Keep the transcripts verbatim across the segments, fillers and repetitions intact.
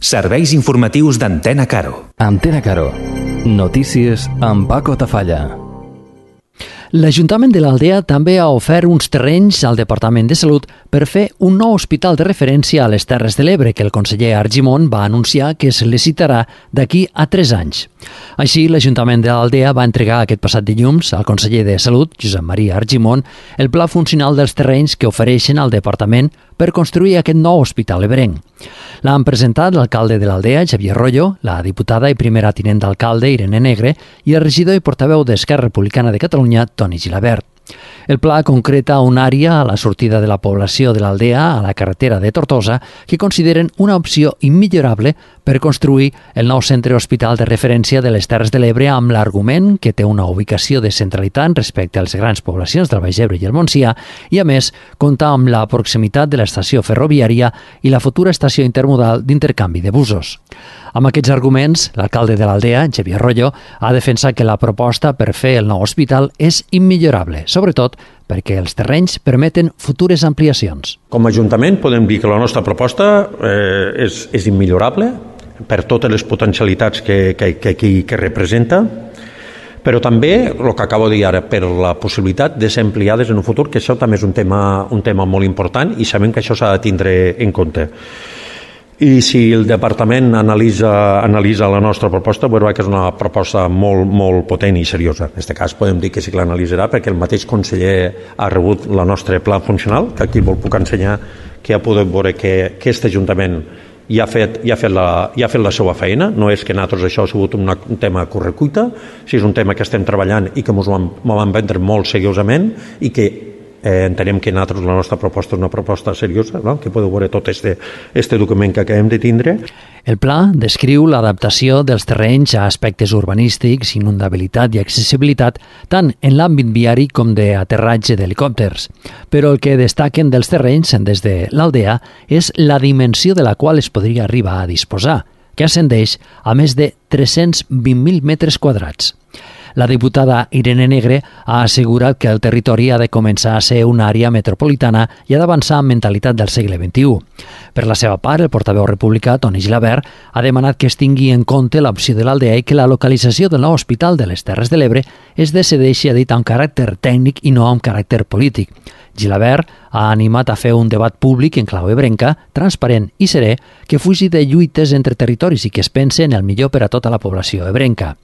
Serveis informatius d'Antena Caro. Antena Caro. Notícies amb Paco Tafalla. L'Ajuntament de l'Aldea també ha ofert uns terrenys al Departament de Salut per fer un nou hospital de referència a les Terres de l'Ebre que el conseller Argimon va anunciar que es licitarà d'aquí a tres anys. Així, l'Ajuntament de l'Aldea va entregar aquest passat dilluns al conseller de Salut, Josep Maria Argimon, el pla funcional dels terrenys que ofereixen al Departament per construir aquest nou hospital ebrenc. L'han presentat l'alcalde de l'Aldea, Xavier Royo, la diputada i primera tinent d'alcalde, Irene Negre, i el regidor i portaveu d'Esquerra Republicana de Catalunya, Toni Gilabert. El pla concreta una àrea a la sortida de la població de l'Aldea a la carretera de Tortosa que consideren una opció immillorable per construir el nou centre hospital de referència de les Terres de l'Ebre amb l'argument que té una ubicació de centralitat respecte a les grans poblacions del Baix Ebre i el Montsià i, a més, compta amb la proximitat de l'estació ferroviària i la futura estació intermodal d'intercanvi de busos. Amb aquests arguments, l'alcalde de l'Aldea, Xavier Royo, ha defensat que la proposta per fer el nou hospital és immillorable, sobretot perquè els terrenys permeten futures ampliacions. Com a Ajuntament podem dir que la nostra proposta eh, és, és immillorable per totes les potencialitats que, que, que, que, que representa, però també, el que acabo de dir ara, per la possibilitat de ser ampliades en un futur, que això també és un tema, un tema molt important i sabem que això s'ha de tindre en compte. I si el departament analitza, analitza la nostra proposta, veurà que és una proposta molt, molt potent i seriosa. En aquest cas podem dir que sí que l'analitzarà perquè el mateix conseller ha rebut la nostra pla funcional, que aquí vol puc ensenyar, que ja podem veure que aquest Ajuntament ja ha fet, ja ha fet, la, ja ha fet la seva feina. No és que nosaltres això ha sigut una, un tema a correcuita, si és un tema que estem treballant i que ens ho vam vendre molt seriosament i que Eh, entenem que nosaltres la nostra proposta és una proposta seriosa, no? Que podeu veure tot este, este document que acabem de tindre. El pla descriu l'adaptació dels terrenys a aspectes urbanístics, inundabilitat i accessibilitat, tant en l'àmbit viari com d'aterratge d'helicòpters. Però el que destaquen dels terrenys des de l'Aldea és la dimensió de la qual es podria arribar a disposar, que ascendeix a més de tres-cents vint mil metres quadrats. La diputada Irene Negre ha assegurat que el territori ha de començar a ser una àrea metropolitana i ha d'avançar amb mentalitat del segle vint-i-u. Per la seva part, el portaveu republicà, Toni Gilabert, ha demanat que es tingui en compte l'opció de l'Aldea i que la localització del nou hospital de les Terres de l'Ebre es decideixi a dit amb caràcter tècnic i no amb caràcter polític. Gilabert ha animat a fer un debat públic en clau ebrenca, transparent i serè, que fugi de lluites entre territoris i que es pense en el millor per a tota la població ebrenca.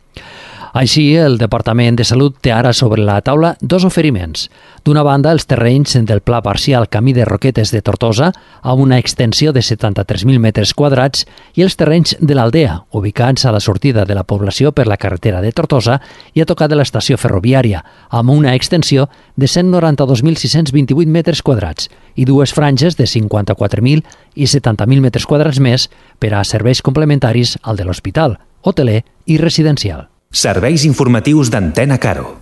Així, el Departament de Salut té ara sobre la taula dos oferiments. D'una banda, els terrenys del Pla Parcial Camí de Roquetes de Tortosa, amb una extensió de setanta-tres mil metres quadrats, i els terrenys de l'Aldea, ubicats a la sortida de la població per la carretera de Tortosa i a tocar de l'estació ferroviària, amb una extensió de cent noranta-dos mil sis-cents vint-i-vuit metres quadrats i dues franges de cinquanta-quatre mil i setanta mil metres quadrats més per a serveis complementaris al de l'hospital, hoteler i residencial. Serveis informatius d'Antena Caro.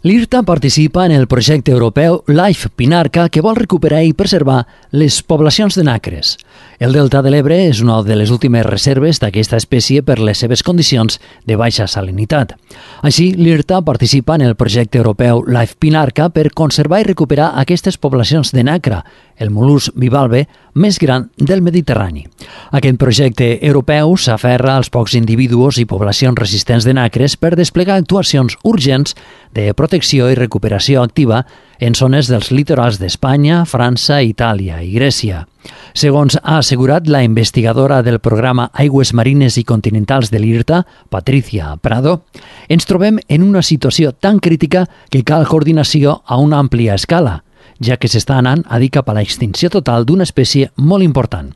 L'IRTA participa en el projecte europeu Life Pinarca que vol recuperar i preservar les poblacions de nacres. El delta de l'Ebre és una de les últimes reserves d'aquesta espècie per les seves condicions de baixa salinitat. Així, l'IRTA participa en el projecte europeu Life Pinarca per conservar i recuperar aquestes poblacions de nacra, el mol·lusc bivalve més gran del Mediterrani. Aquest projecte europeu s'aferra als pocs individus i poblacions resistents de nacres per desplegar actuacions urgents de protecció i recuperació activa en zones dels litorals d'Espanya, França, Itàlia i Grècia. Segons ha assegurat la investigadora del programa Aigües Marines i Continentals de l'IRTA, Patricia Prado, ens trobem en una situació tan crítica que cal coordinació a una àmplia escala, ja que s'està anant a dir cap a l'extinció total d'una espècie molt important.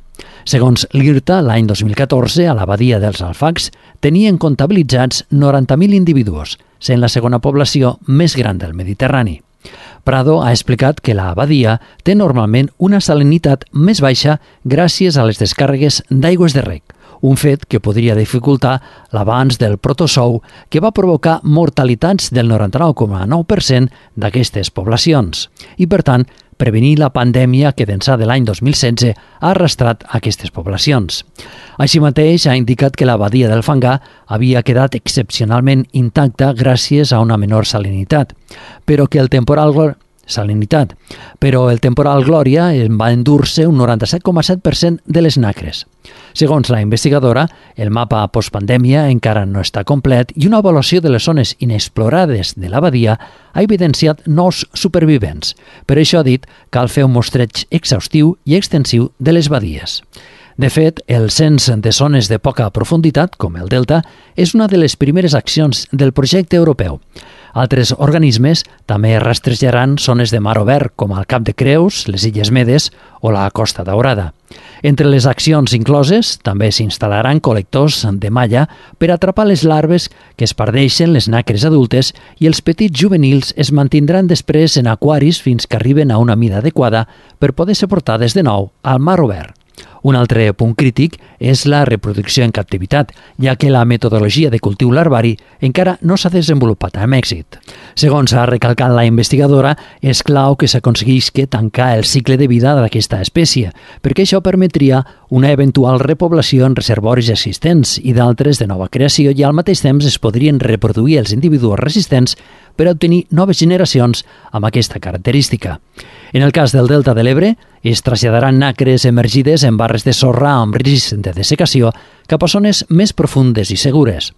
Segons l'IRTA, l'any dos mil catorze, a la badia dels Alfacs, tenien comptabilitzats noranta mil individus, sent la segona població més gran del Mediterrani. Prado ha explicat que la badia té normalment una salinitat més baixa gràcies a les descàrregues d'aigües de reg, un fet que podria dificultar l'avanç del protozou que va provocar mortalitats del noranta-nou coma nou per cent d'aquestes poblacions i, per tant, prevenir la pandèmia que d'ençà de l'any dos mil setze ha arrastrat aquestes poblacions. Així mateix, ha indicat que la badia del Fangar havia quedat excepcionalment intacta gràcies a una menor salinitat, però que el temporal salinitat, però el temporal Glòria en va endur-se un noranta-set coma set per cent de les nacres. Segons la investigadora, el mapa postpandèmia encara no està complet i una avaluació de les zones inexplorades de la badia ha evidenciat nous supervivents. Per això ha dit que cal fer un mostreig exhaustiu i extensiu de les badies. De fet, el cens de zones de poca profunditat, com el Delta, és una de les primeres accions del projecte europeu. Altres organismes també rastrejaran zones de mar obert, com el Cap de Creus, les Illes Medes o la Costa Daurada. Entre les accions incloses, també s'instal·laran col·lectors de malla per atrapar les larves que es perdeixen les nacres adultes i els petits juvenils es mantindran després en aquaris fins que arriben a una mida adequada per poder ser portades de nou al mar obert. Un altre punt crític és la reproducció en captivitat, ja que la metodologia de cultiu larvari encara no s'ha desenvolupat amb èxit. Segons ha recalcat la investigadora, és clau que s'aconseguisca tancar el cicle de vida d'aquesta espècie, perquè això permetria una eventual repoblació en reservoris existents i d'altres de nova creació i al mateix temps es podrien reproduir els individus resistents per obtenir noves generacions amb aquesta característica. En el cas del Delta de l'Ebre, es traslladaran nacres emergides en barres de sorra amb risc de dessecació cap a zones més profundes i segures.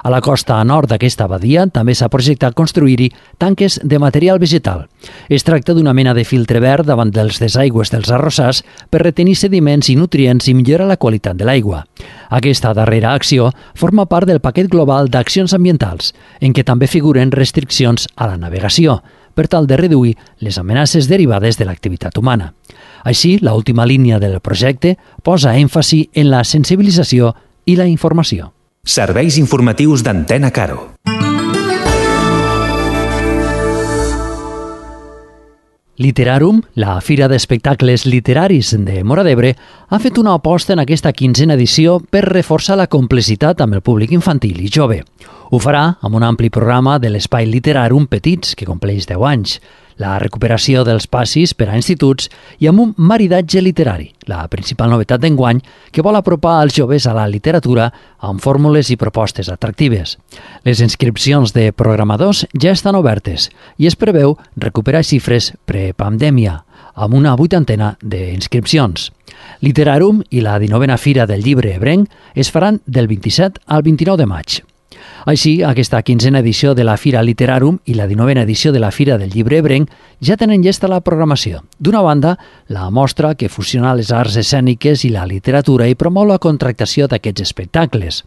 A la costa nord d'aquesta badia també s'ha projectat construir-hi tanques de material vegetal. Es tracta d'una mena de filtre verd davant dels desaigües dels arrossars per retenir sediments i nutrients i millorar la qualitat de l'aigua. Aquesta darrera acció forma part del paquet global d'accions ambientals, en què també figuren restriccions a la navegació, per tal de reduir les amenaces derivades de l'activitat humana. Així, l'última línia del projecte posa èmfasi en la sensibilització i la informació. Serveis informatius d'Antena Caro. Literarum, la fira d'espectacles literaris de Móra d'Ebre, ha fet una aposta en aquesta quinzena edició per reforçar la complicitat amb el públic infantil i jove. Ho farà amb un ampli programa de l'Espai Literarum Petits, que compleix deu anys, la recuperació dels passis per a instituts i amb un maridatge literari, la principal novetat d'enguany que vol apropar els joves a la literatura amb fórmules i propostes atractives. Les inscripcions de programadors ja estan obertes i es preveu recuperar xifres prepandèmia, amb una vuitantena d'inscripcions. Literarum i la dinovena Fira del Llibre Ebrenc es faran del vint-i-set al vint-i-nou de maig. Així, aquesta quinzena edició de la Fira Literarum i la dinovena edició de la Fira del Llibre Ebrenc ja tenen llesta la programació. D'una banda, la mostra que fusiona les arts escèniques i la literatura i promou la contractació d'aquests espectacles,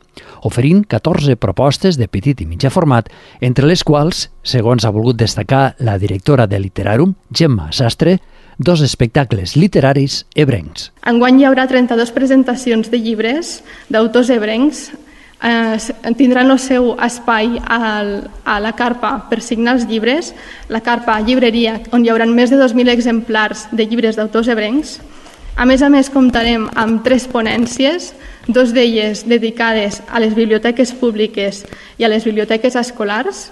oferint catorze propostes de petit i mitjà format, entre les quals, segons ha volgut destacar la directora de Literarum, Gemma Sastre, dos espectacles literaris ebrencs. Enguany hi haurà trenta-dues presentacions de llibres d'autors ebrencs. Eh, tindran el seu espai al, a la carpa per signar els llibres, la carpa llibreria, on hi haurà més de dos mil exemplars de llibres d'autors ebrencs. A més a més, comptarem amb tres ponències, dos d'elles dedicades a les biblioteques públiques i a les biblioteques escolars,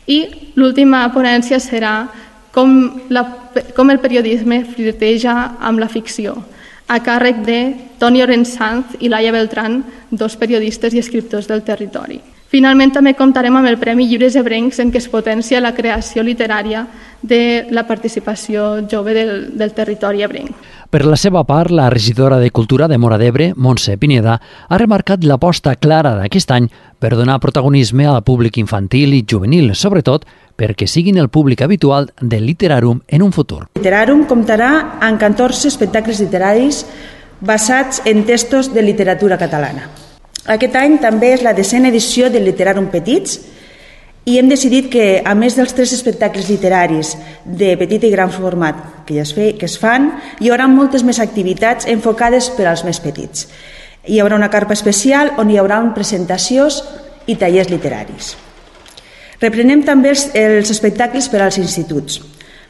i l'última ponència serà com, la, com el periodisme flirteja amb la ficció, a càrrec de Toni Orensanz i Laia Beltrán, dos periodistes i escriptors del territori. Finalment, també comptarem amb el Premi Llibres Ebrencs, en què es potencia la creació literària de la participació jove del, del territori ebrenc. Per la seva part, la regidora de Cultura de Móra d'Ebre, Montse Pineda, ha remarcat l'aposta clara d'aquest any per donar protagonisme al públic infantil i juvenil, sobretot perquè siguin el públic habitual del Literarum en un futur. Literarum comptarà amb catorze espectacles literaris basats en textos de literatura catalana. Aquest any també és la desena edició del Literarum Petits i hem decidit que, a més dels tres espectacles literaris de petit i gran format que, ja es, fe, que es fan, hi haurà moltes més activitats enfocades per als més petits. Hi haurà una carpa especial on hi haurà presentacions i tallers literaris. Reprenem també els, els espectacles per als instituts.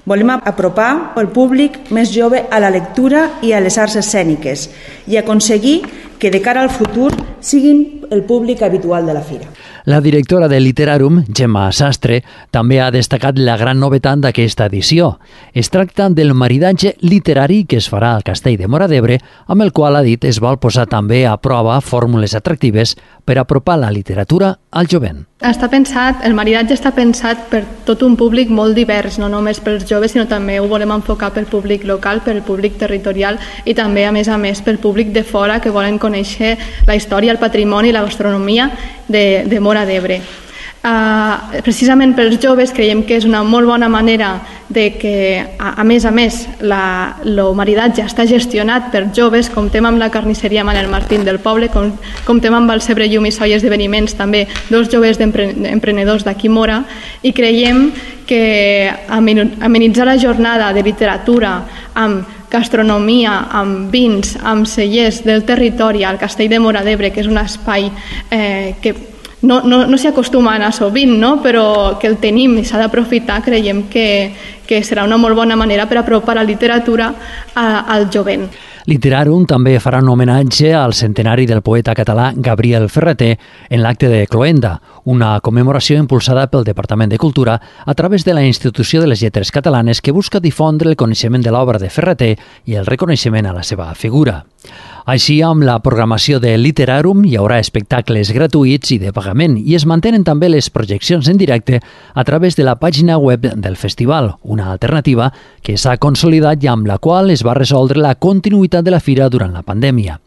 Volem apropar el públic més jove a la lectura i a les arts escèniques i aconseguir que de cara al futur siguin el públic habitual de la fira. La directora de Literarum, Gemma Sastre, també ha destacat la gran novetat d'aquesta edició. Es tracta del maridatge literari que es farà al Castell de Móra d'Ebre, amb el qual, ha dit, es vol posar també a prova fórmules atractives per apropar la literatura al jovent. Està pensat, el maridatge està pensat per tot un públic molt divers, no només pels joves, sinó també ho volem enfocar pel públic local, pel públic territorial i també, a més a més, pel públic de fora que volen conèixer la història, el patrimoni i la gastronomia de, de Móra d'Ebre. Uh, precisament pels joves creiem que és una molt bona manera de que, a, a més a més, la, el maridatge està gestionat per joves, comptem amb la carnisseria Manel Martín del poble, com, comptem amb el Cebre Llum i Soll Esdeveniments, també dos joves emprenedors d'aquí Móra, i creiem que amenitzar la jornada de literatura amb gastronomia, amb vins, amb cellers del territori al Castell de Móra d'Ebre, que és un espai eh, que no, no, no s'hi acostuma a anar sovint, no? Però que el tenim i s'ha d'aprofitar, creiem que, que serà una molt bona manera per apropar la literatura a, al jovent. Literarum també farà un homenatge al centenari del poeta català Gabriel Ferrater en l'acte de Cloenda, una commemoració impulsada pel Departament de Cultura a través de la Institució de les Lletres Catalanes que busca difondre el coneixement de l'obra de Ferrater i el reconeixement a la seva figura. Així, amb la programació de Literarum hi haurà espectacles gratuïts i de pagament i es mantenen també les projeccions en directe a través de la pàgina web del festival, una alternativa que s'ha consolidat i amb la qual es va resoldre la continuïtat de la fira durant la pandèmia.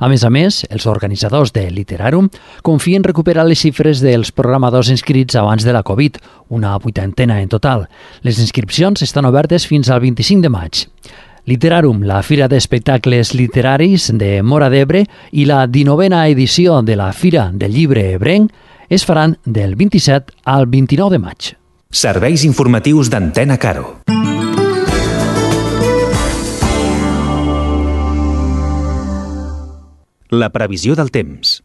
A més a més, els organitzadors de Literarum confien recuperar les xifres dels programadors inscrits abans de la Covid, una vuitantena en total. Les inscripcions estan obertes fins al vint-i-cinc de maig. Literarum, la fira d'espectacles literaris de Móra d'Ebre i la dinovena edició de la Fira del Llibre Ebrenc es faran del vint-i-set al vint-i-nou de maig. Serveis informatius d'Antena Caro. La previsió del temps.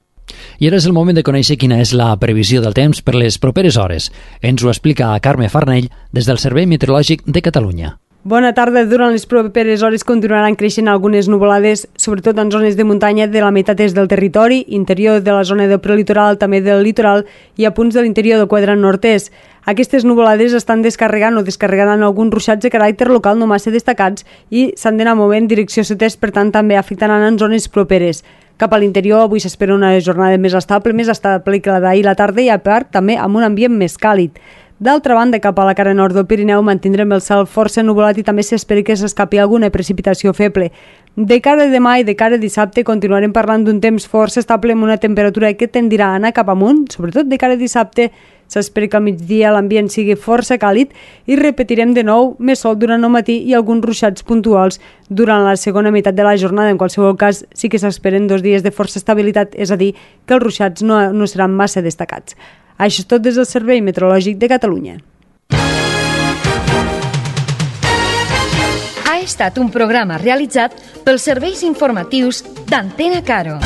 I ara és el moment de conèixer quina és la previsió del temps per les properes hores. Ens ho explica Carme Farnell des del Servei Meteorològic de Catalunya. Bona tarda. Durant les properes hores continuaran creixent algunes nuvolades, sobretot en zones de muntanya de la meitat est del territori, interior de la zona del prelitoral, també del litoral i a punts de l'interior del quadrant nord-est. Aquestes nuvolades estan descarregant o descarregaran alguns ruixats de caràcter local no massa destacats i s'han d'anar movent en direcció sud-est, per tant també afectaran en zones properes. Cap a l'interior avui s'espera una jornada més estable, més estable que la d'ahir la tarda i a part també amb un ambient més càlid. D'altra banda, cap a la cara nord del Pirineu mantindrem el cel força nuvolat i també s'espera que s'escapi alguna precipitació feble. De cara a demà i de cara a dissabte continuarem parlant d'un temps força estable amb una temperatura que tendirà a anar cap amunt, sobretot de cara a dissabte. S'espera que al migdia l'ambient sigui força càlid i repetirem de nou més sol durant el matí i alguns ruixats puntuals durant la segona meitat de la jornada. En qualsevol cas, sí que s'esperen dos dies de força estabilitat, és a dir, que els ruixats no, no seran massa destacats. Això és tot des del Servei Meteorològic de Catalunya. Ha estat un programa realitzat pels serveis informatius d'Antena Caro.